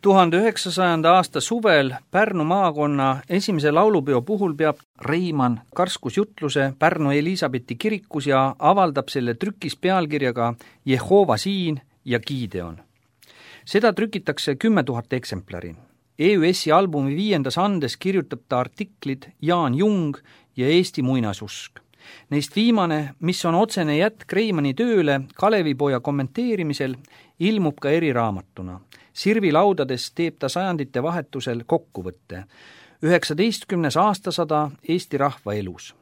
1900. aasta suvel Pärnu maakonna esimese laulupeo puhul peab Reimann karskus jutluse Pärnu Elisabethi kirikus ja avaldab selle trükis pealkirjaga Jehova siin ja Gideon. Seda trükitakse 10 000 eksemplari. EÜS-i albumi 5. andes kirjutab ta artiklid Jaan Jung ja Eesti muinasusk. Neist viimane, mis on otsene jätk Reimanni tööle Kalevipoja kommenteerimisel, ilmub ka eriraamatuna. Sirvi laudades teeb ta sajandite vahetusel kokkuvõtte. 19. aastasada Eesti rahva elus.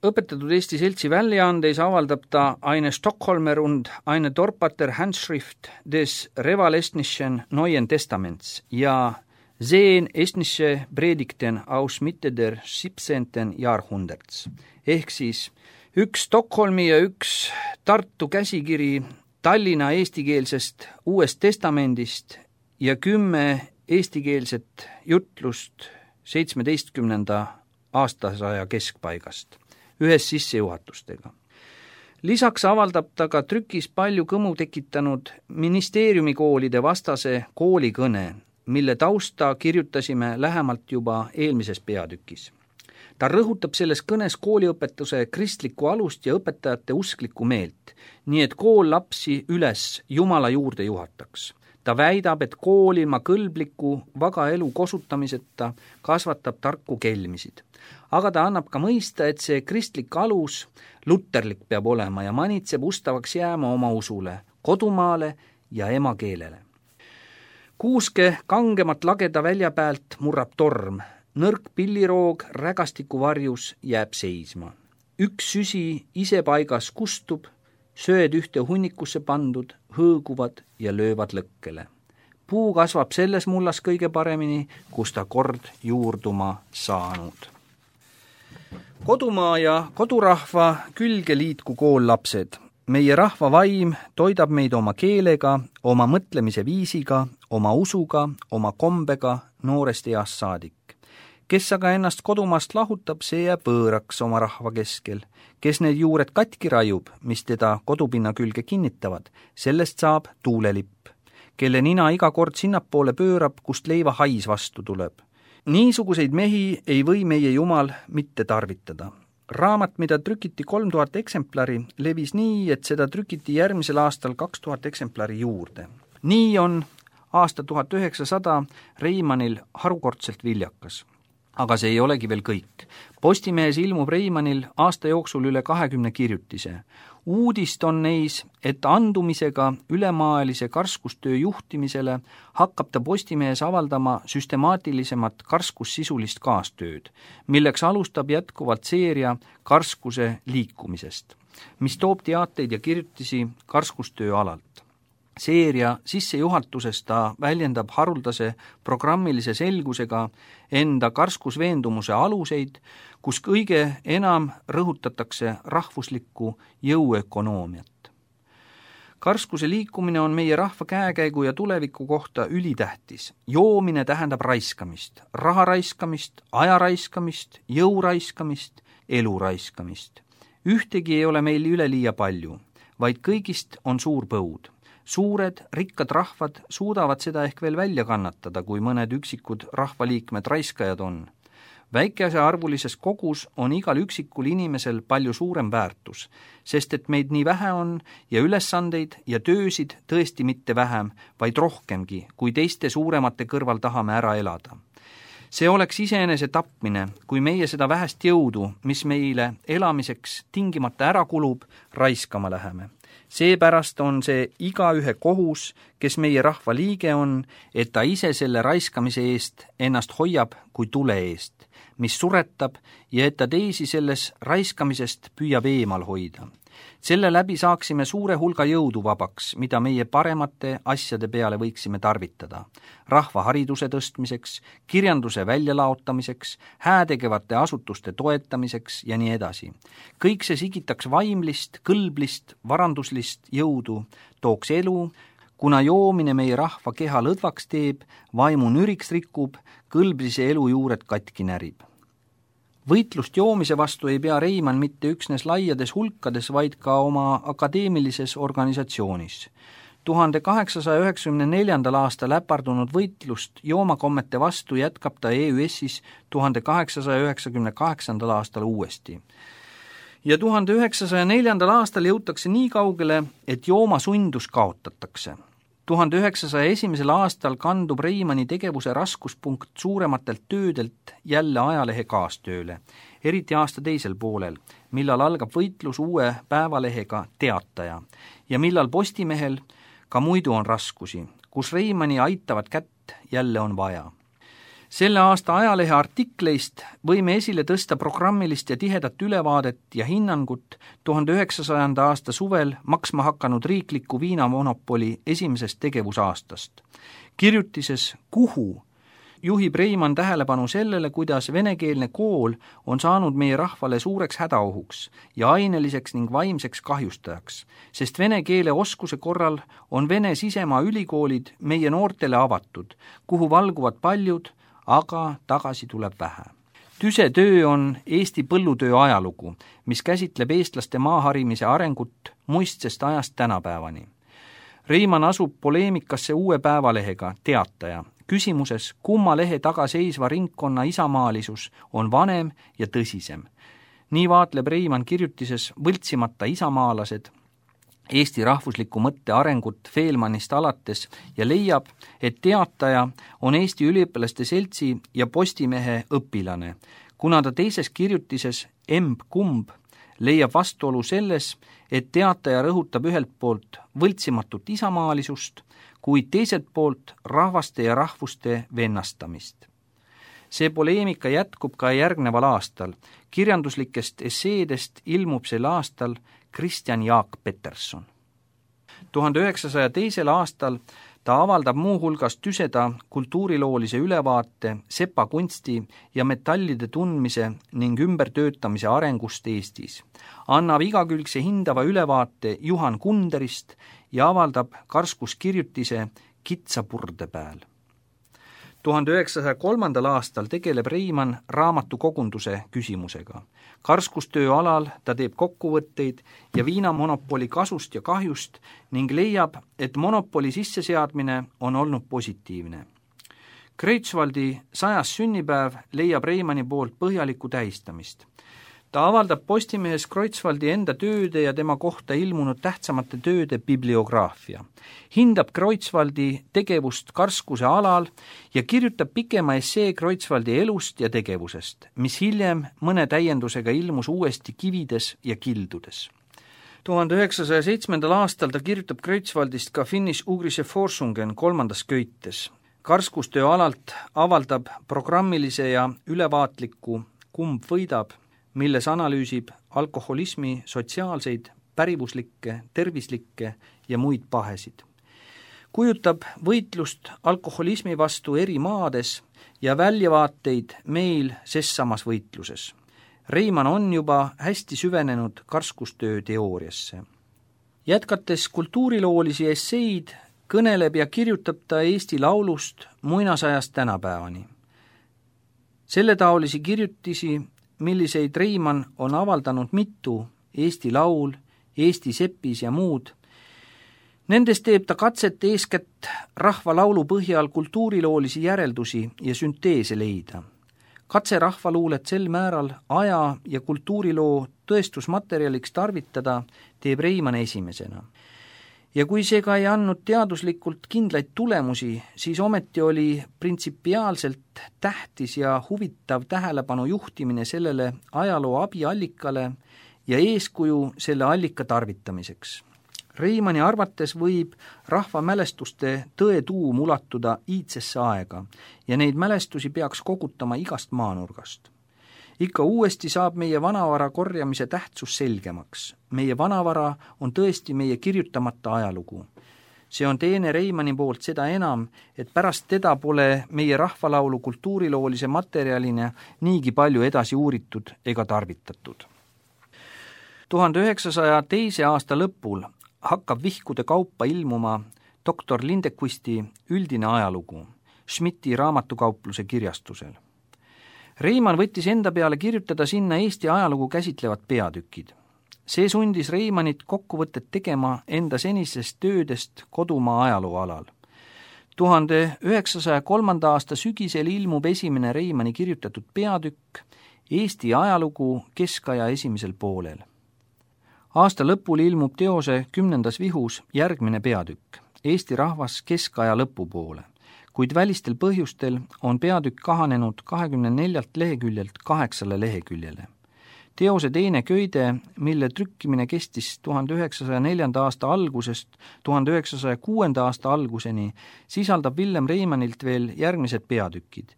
Õpetatud Eesti Seltsi väljaandeis avaldab ta eine Stockholmer und eine Dorpater Handschrift des Revalestnischen Neuen Testaments ja Sehen estnische Predigten aus Mitte der 17. Jahrhunderts. Ehk siis üks Stockholmi ja üks Tartu käsikiri Tallinna eestikeelsest Uuest Testamendist ja 10 eestikeelset jutlust 17. aastasaja keskpaigast, ühes sissejuhatustega. Lisaks avaldab ta ka trükis palju kõmu tekitanud ministeeriumikoolide vastase koolikõne, mille tausta kirjutasime lähemalt juba eelmises peatükis. Ta rõhutab selles kõnes kooliõpetuse kristlikku alust ja õpetajate usklikku meelt, nii et kool lapsi üles Jumala juurde juhataks. Ta väidab, et kool ilma kõlbliku vaga elu kosutamiseta kasvatab tarku kelmisid. Aga ta annab ka mõista, et see kristlik alus luterlik peab olema ja manitseb ustavaks jääma oma usule, kodumaale ja emakeelele. Kuuske kangemat lageda välja pealt murrab torm, nõrk pilliroog rägastiku varjus jääb seisma. Üks süsi ise paigas kustub, sööd ühte hunnikusse pandud, hõõguvad ja löövad lõkkele. Puu kasvab selles mullas kõige paremini, kus ta kord juurduma saanud. Kodumaa ja kodurahva külge liitku kool lapsed. Meie rahva vaim toidab meid oma keelega, oma mõtlemise viisiga, oma usuga, oma kombega noorest east saadik. Kes aga ennast kodumaast lahutab, see jääb võõraks oma rahva keskel. Kes need juured katki rajub, mis teda kodupinna külge kinnitavad, sellest saab tuulelipp, kelle nina iga kord sinnapoole pöörab, kust leiva hais vastu tuleb. Niisuguseid mehi ei või meie Jumal mitte tarvitada. Raamat, mida trükiti 3000 eksemplari, levis nii, et seda trükiti järgmisel aastal 2000 eksemplari juurde. Nii on aasta 1900 Reimannil harukordselt viljakas. Aga see ei olegi veel kõik. Postimehes ilmub Reimannil aasta jooksul üle 20 kirjutise. Uudist on neis, et andumisega ülemaailise karskustöö juhtimisele hakkab ta Postimehes avaldama süstemaatilisemat karskussisulist kaastööd, milleks alustab jätkuvalt seeria karskuse liikumisest, mis toob teateid ja kirjutisi karskustöö alalt. Seeria sissejuhatuses ta väljendab haruldase programmilise selgusega enda karskusveendumuse aluseid, kus kõige enam rõhutatakse rahvuslikku jõuökonoomiat. Karskuse liikumine on meie rahva käekäigu ja tuleviku kohta ülitähtis. Joomine tähendab raiskamist, raha raiskamist, aja raiskamist, jõu raiskamist, elu raiskamist. Ühtegi ei ole meil üleliia palju, vaid kõigist on suur põud. Suured, rikkad rahvad suudavad seda ehk veel välja kannatada, kui mõned üksikud rahvaliikmed raiskajad on. Väikese arvulises kogus on igal üksikul inimesel palju suurem väärtus, sest et meid nii vähe on ja ülesandeid ja töösid tõesti mitte vähem, vaid rohkemgi, kui teiste suuremate kõrval tahame ära elada. See oleks iseenese tapmine, kui meie seda vähest jõudu, mis meile elamiseks tingimata ära kulub, raiskama läheme. Seepärast on see igaühe kohus, kes meie rahva liige on, et ta ise selle raiskamise eest ennast hoiab kui tule eest, mis suretab ja et ta teisi selles raiskamisest püüab eemal hoida. Selle läbi saaksime suure hulga jõudu vabaks, mida meie paremate asjade peale võiksime tarvitada. Rahva hariduse tõstmiseks, kirjanduse väljalaotamiseks, häätegevate asutuste toetamiseks ja nii edasi. Kõik see sigitaks vaimlist, kõlblist, varanduslist jõudu, tooks elu, kuna joomine meie rahva keha lõdvaks teeb, vaimu nüriks rikub, kõlblise elu juured katki närib. Võitlust joomise vastu ei pea Reimann mitte üksnes laiades hulkades, vaid ka oma akadeemilises organisatsioonis. 1894. aastal äpardunud võitlust joomakommete vastu jätkab ta EÜS-is 1898. aastal uuesti. Ja 1904. aastal jõutakse nii kaugele, et joomasundus kaotatakse. 1901. aastal kandub Reimanni tegevuse raskuspunkt suurematelt töödelt jälle ajalehe kaastööle, eriti aasta teisel poolel, millal algab võitlus uue päevalehega Teataja ja millal Postimehel ka muidu on raskusi, kus Reimanni aitavat kätt jälle on vaja. Selle aasta ajalehe artikleist võime esile tõsta programmilist ja tihedat ülevaadet ja hinnangut 1900. aasta suvel maksma hakanud riikliku viinamonopoli esimesest tegevusaastast. Kirjutises Kuhu juhib Reimann tähelepanu sellele, kuidas venekeelne kool on saanud meie rahvale suureks hädaohuks ja aineliseks ning vaimseks kahjustajaks, sest vene keele oskuse korral on Vene sisemaa ülikoolid meie noortele avatud, kuhu valguvad paljud, aga tagasi tuleb vähe. Tüse töö on Eesti põllutöö ajalugu, mis käsitleb eestlaste maaharimise arengut muistsest ajast tänapäevani. Reimann asub poleemikasse uue päevalehega Teataja, küsimuses, kumma lehe taga seisva ringkonna isamaalisus on vanem ja tõsisem. Nii vaatleb Reimann kirjutises võltsimata isamaalased Eesti rahvusliku mõtte arengut Feelmannist alates ja leiab, et Teataja on Eesti üliõpilaste seltsi ja Postimehe õpilane, kuna ta teises kirjutises Kumb leiab vastuolu selles, et Teataja rõhutab ühelt poolt võltsimatut isamaalisust, kuid teiselt poolt rahvaste ja rahvuste vennastamist. See poleemika jätkub ka järgneval aastal. Kirjanduslikest esseedest ilmub sel aastal Kristjan Jaak Peterson. 1902. aastal ta avaldab muuhulgas tüseda kultuuriloolise ülevaate sepa kunsti ja metallide tundmise ning ümbertöötamise arengust Eestis, annab igakülgse hindava ülevaate Juhan Kunderist ja avaldab karskus kirjutise Kitsa purde pääl. 1903. aastal tegeleb Reimann raamatukogunduse küsimusega. Karskustöö alal ta teeb kokkuvõtteid ja viinamonopoli kasust ja kahjust ning leiab, et monopoli sisseseadmine on olnud positiivne. Kreutzwaldi 100. sünnipäev leiab Reimanni poolt põhjalikku tähistamist. Ta avaldab Postimehes Kreutzwaldi enda tööde ja tema kohta ilmunud tähtsamate tööde bibliograafia, hindab Kreutzwaldi tegevust karskuse alal ja kirjutab pikema essee Kreutzwaldi elust ja tegevusest, mis hiljem mõne täiendusega ilmus uuesti Kivides ja kildudes. 1907. aastal ta kirjutab Kreutzwaldist ka Finnish-Ugrische Forschungen 3. köites. Karskustöö alalt avaldab programmilise ja ülevaatliku Kumb võidab, milles analüüsib alkoholismi sotsiaalseid, pärivuslikke, tervislikke ja muid pahesid. Kujutab võitlust alkoholismi vastu eri maades ja väljavaateid meil ses samas võitluses. Reimann on juba hästi süvenenud karskustöö teooriasse. Jätkates kultuuriloolisi esseid, kõneleb ja kirjutab ta Eesti laulust muinasajast tänapäevani. Selletaolisi kirjutisi, milliseid Reimann on avaldanud mitu, Eesti laul, Eesti sepis ja muud. Nendes teeb ta katset eeskätt rahvalaulu põhjal kultuuriloolisi järeldusi ja sünteese leida. Katse rahvaluulet sel määral aja ja kultuuriloo tõestusmaterjaliks tarvitada teeb Reimann esimesena. Ja kui see ka ei andnud teaduslikult kindlaid tulemusi, siis ometi oli printsipiaalselt tähtis ja huvitav tähelepanu juhtimine sellele ajaloo abiallikale ja eeskuju selle allika tarvitamiseks. Reimanni arvates võib rahvamälestuste tõetuum ulatuda iidsesse aega ja neid mälestusi peaks kogutama igast maanurgast. Ikka uuesti saab meie vanavara korjamise tähtsus selgemaks. Meie vanavara on tõesti meie kirjutamata ajalugu. See on teene Reimanni poolt seda enam, et pärast teda pole meie rahvalaulu kultuuriloolise materjalina niigi palju edasi uuritud ega tarvitatud. 1902. aasta lõpul hakkab vihkude kaupa ilmuma doktor Lindequisti üldine ajalugu Schmidti raamatukaupluse kirjastusel. Reimann võttis enda peale kirjutada sinna Eesti ajalugu käsitlevad peatükid. See sundis Reimannit kokkuvõtet tegema enda senisest töödest kodumaa ajaloo alal. 1903. aasta sügisel ilmub esimene Reimanni kirjutatud peatükk Eesti ajalugu keskaja esimesel poolel. Aasta lõpul ilmub teose 10. vihus järgmine peatükk, Eesti rahvas keskaja lõpupoole, kuid välistel põhjustel on peatükk kahanenud 24 leheküljelt 8 leheküljele. Teose teine köide, mille trükkimine kestis 1904. aasta algusest 1906. aasta alguseni, sisaldab Villem Reimannilt veel järgmised peatükid.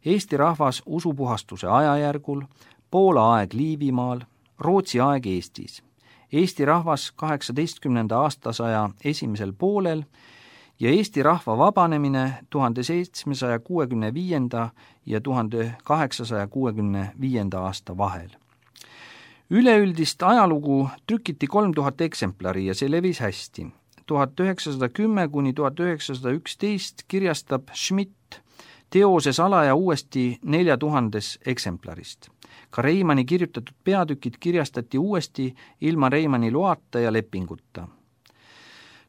Eesti rahvas usupuhastuse ajajärgul, Poola aeg Liivimaal, Rootsi aeg Eestis, Eesti rahvas 18. aastasaja esimesel poolel ja Eesti rahva vabanemine 1765. ja 1865. aasta vahel. Üleüldist ajalugu trükiti 3000 eksemplari ja see levis hästi. 1910 kuni 1911 kirjastab Schmidt teose salaja uuesti 4000 eksemplarist. Ka Reimanni kirjutatud peatükid kirjastati uuesti ilma Reimanni loata ja lepinguta.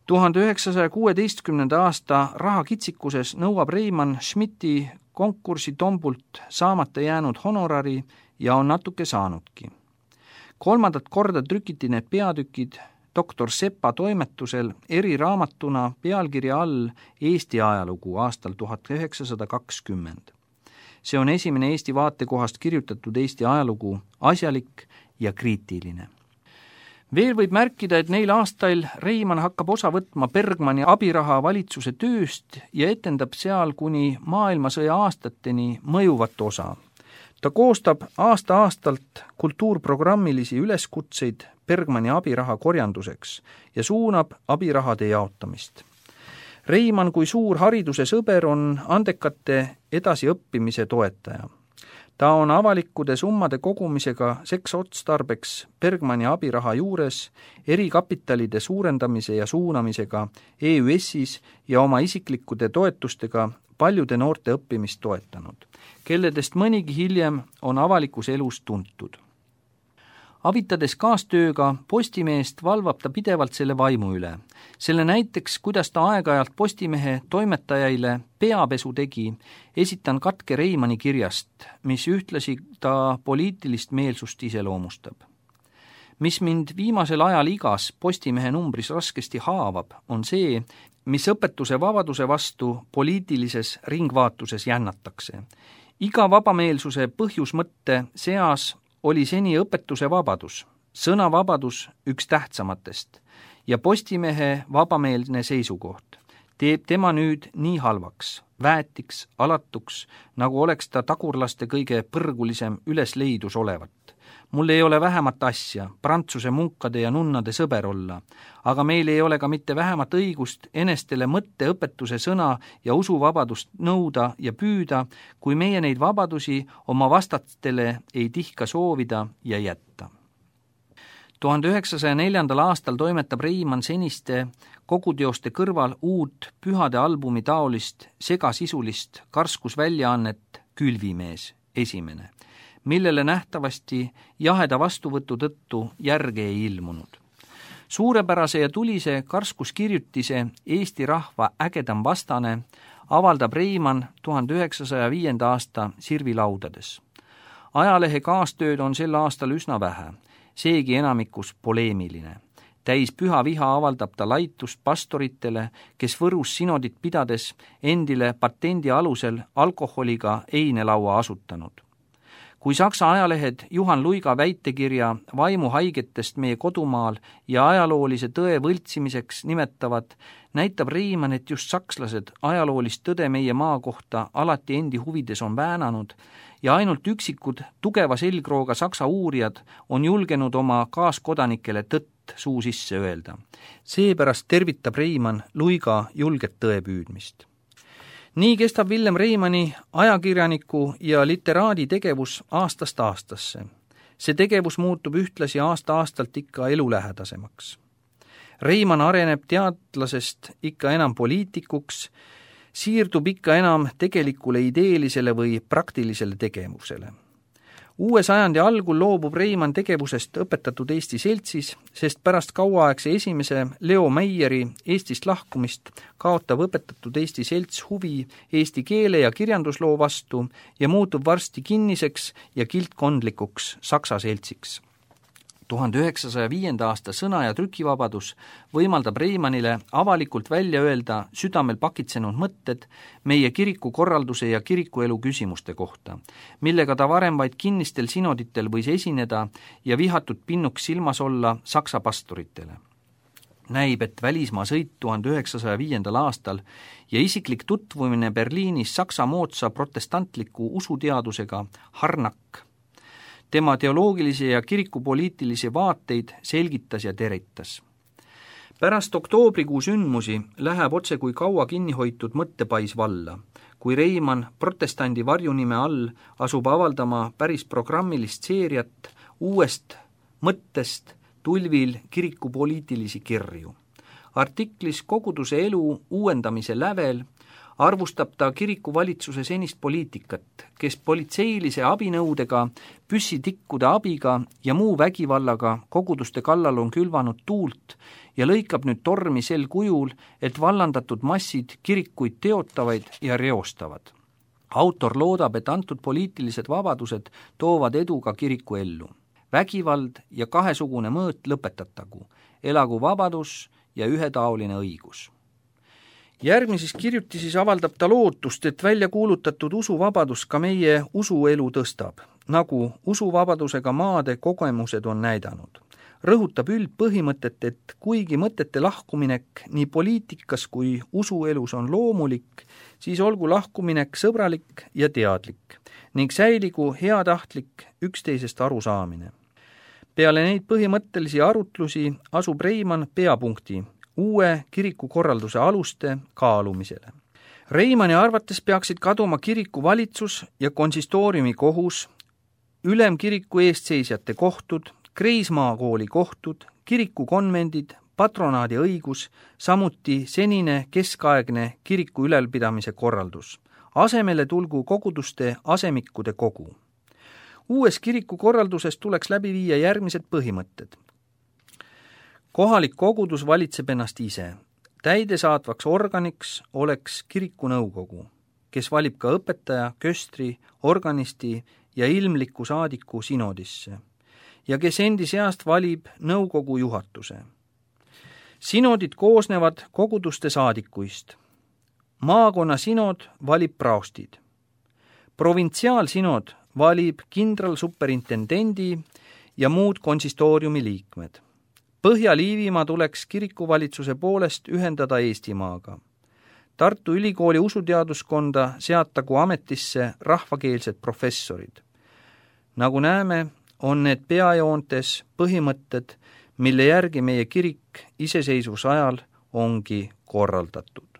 1916. aasta rahakitsikuses nõuab Reimann Schmidti konkursi tombult saamata jäänud honorari ja on natuke saanudki. 3. korda trükiti need peatükid doktor Sepa toimetusel eriraamatuna pealkirja all Eesti ajalugu aastal 1920. See on esimene Eesti vaatekohast kirjutatud Eesti ajalugu, asjalik ja kriitiline. Veel võib märkida, et neil aastail Reimann hakkab osa võtma Bergmanni abiraha valitsuse tööst ja etendab seal kuni maailmasõja aastateni mõjuvat osa. Ta koostab aasta-aastalt kultuurprogrammilisi üleskutseid Bergmanni abiraha korjanduseks ja suunab abirahade jaotamist. Reimann kui suur hariduse sõber on andekate edasiõppimise toetaja. Ta on avalikkude summade kogumisega seksotstarbeks Bergmanni abiraha juures, erikapitalide suurendamise ja suunamisega EÜS-is ja oma isiklikkude toetustega paljude noorte õppimist toetanud, kelledest mõnigi hiljem on avalikus elus tuntud. Avitades kaastööga Postimeest valvab ta pidevalt selle vaimu üle. Selle näiteks, kuidas ta aeg-ajalt Postimehe toimetajaile peapesu tegi, esitan katke Reimanni kirjast, mis ühtlasi ta poliitilist meelsust iseloomustab. Mis mind viimasel ajal igas Postimehe numbris raskesti haavab, on see, mis õpetuse vabaduse vastu poliitilises ringvaatuses jännatakse. Iga vabameelsuse põhjusmõtte seas oli seni õpetuse vabadus, sõnavabadus üks tähtsamatest ja Postimehe vabameelne seisukoht teeb tema nüüd nii halvaks, väetiks, alatuks, nagu oleks ta tagurlaste kõige põrgulisem ülesleidus olevat. Mul ei ole vähemat asja, Prantsuse munkade ja nunnade sõber olla, aga meil ei ole ka mitte vähemat õigust enestele mõtteõpetuse sõna ja usuvabadust nõuda ja püüda, kui meie neid vabadusi oma vastastele ei tihka soovida ja jätta. 1904. aastal toimetab Reimann seniste koguteoste kõrval uut pühade albumi taolist segasisulist karskusväljaannet Külvimees esimene, millele nähtavasti jaheda vastuvõtu tõttu järge ei ilmunud. Suurepärase ja tulise karskuskirjutise Eesti rahva ägedam vastane avaldab Reimann 1905. aasta Sirvilaudades. Ajalehe kaastööd on sel aastal üsna vähe, seegi enamikus poleemiline. Täis püha viha avaldab ta laitust pastoritele, kes Võrus sinodit pidades endile patendi alusel alkoholiga einelaua asutanud. Kui Saksa ajalehed Juhan Luiga väitekirja vaimuhaigetest meie kodumaal ja ajaloolise tõe võltsimiseks nimetavad, näitab Reimann, et just sakslased ajaloolist tõde meie maa kohta alati endi huvides on väänanud ja ainult üksikud tugeva selgrooga saksa uurijad on julgenud oma kaaskodanikele tõtt suu sisse öelda. Seepärast tervitab Reimann Luiga julget tõepüüdmist. Nii kestab Villem Reimanni ajakirjaniku ja literaadi tegevus aastast aastasse. See tegevus muutub ühtlasi aasta-aastalt ikka elulähedasemaks. Reimann areneb teadlasest ikka enam poliitikuks, siirdub ikka enam tegelikule ideelisele või praktilisele tegevusele. Uue sajandi algul loobub Reimann tegevusest Õpetatud Eesti Seltsis, sest pärast kauaaegse esimese Leo Meieri Eestist lahkumist kaotab Õpetatud Eesti Selts huvi eesti keele ja kirjandusloo vastu ja muutub varsti kinniseks ja kiltkondlikuks Saksa seltsiks. 1905. aasta sõna- ja trükivabadus võimaldab Reimannile avalikult välja öelda südamel pakitsenud mõtted meie kirikukorralduse ja kirikuelu küsimuste kohta, millega ta varem vaid kinnistel sinoditel võis esineda ja vihatud pinnuks silmas olla Saksa pastoritele. Näib, et välismaa sõit 1905. aastal ja isiklik tutvumine Berliinis Saksa moodsa protestantliku usuteadusega Harnack tema teoloogilisi ja kirikupoliitilisi vaateid selgitas ja teritas. Pärast oktoobrikuu sündmusi läheb otse kui kaua kinnihoitud mõttepais valla, kui Reimann protestandi varjunime all asub avaldama päris programmilist seeriat uuest mõttest tulvil kirikupoliitilisi kirju. Artiklis Koguduse elu uuendamise lävel arvustab ta kirikuvalitsuse senist poliitikat, kes politseilise abinõudega, püssitikkude abiga ja muu vägivallaga koguduste kallal on külvanud tuult ja lõikab nüüd tormi sel kujul, et vallandatud massid kirikuid teotavaid ja reostavad. Autor loodab, et antud poliitilised vabadused toovad edu ka kiriku ellu. Vägivald ja kahesugune mõõt lõpetatagu, elagu vabadus ja ühetaoline õigus. Järgmises kirjutises avaldab ta lootust, et välja kuulutatud usuvabadus ka meie usuelu tõstab, nagu usuvabadusega maade kogemused on näidanud. Rõhutab üldpõhimõtet, et kuigi mõtete lahkuminek nii poliitikas kui usuelus on loomulik, siis olgu lahkuminek sõbralik ja teadlik ning säiligu heatahtlik üksteisest arusaamine. Peale neid põhimõttelisi arutlusi asub Reimann peapunkti uue kirikukorralduse aluste kaalumisele. Reimanni arvates peaksid kaduma kirikuvalitsus ja konsistooriumi kohus, ülemkiriku eestseisjate kohtud, Kreismaakooli kohtud, kirikukonvendid, patronaadi õigus, samuti senine keskaegne kiriku ülalpidamise korraldus. Asemele tulgu koguduste asemikkude kogu. Uues kirikukorralduses tuleks läbi viia järgmised põhimõtted. Kohalik kogudus valitseb ennast ise. Täidesaatvaks organiks oleks kirikunõukogu, kes valib ka õpetaja, köstri, organisti ja ilmliku saadiku sinodisse ja kes endi seast valib nõukogu juhatuse. Sinodid koosnevad koguduste saadikuist. Maakonna sinod valib praostid. Provintsiaalsinod valib kindralsuperintendendi ja muud konsistooriumi liikmed. Põhja-Liivimaa tuleks kirikuvalitsuse poolest ühendada Eestimaaga. Tartu Ülikooli usuteaduskonda seatagu ametisse rahvakeelsed professorid. Nagu näeme, on need peajoontes põhimõtted, mille järgi meie kirik iseseisvuse ajal ongi korraldatud.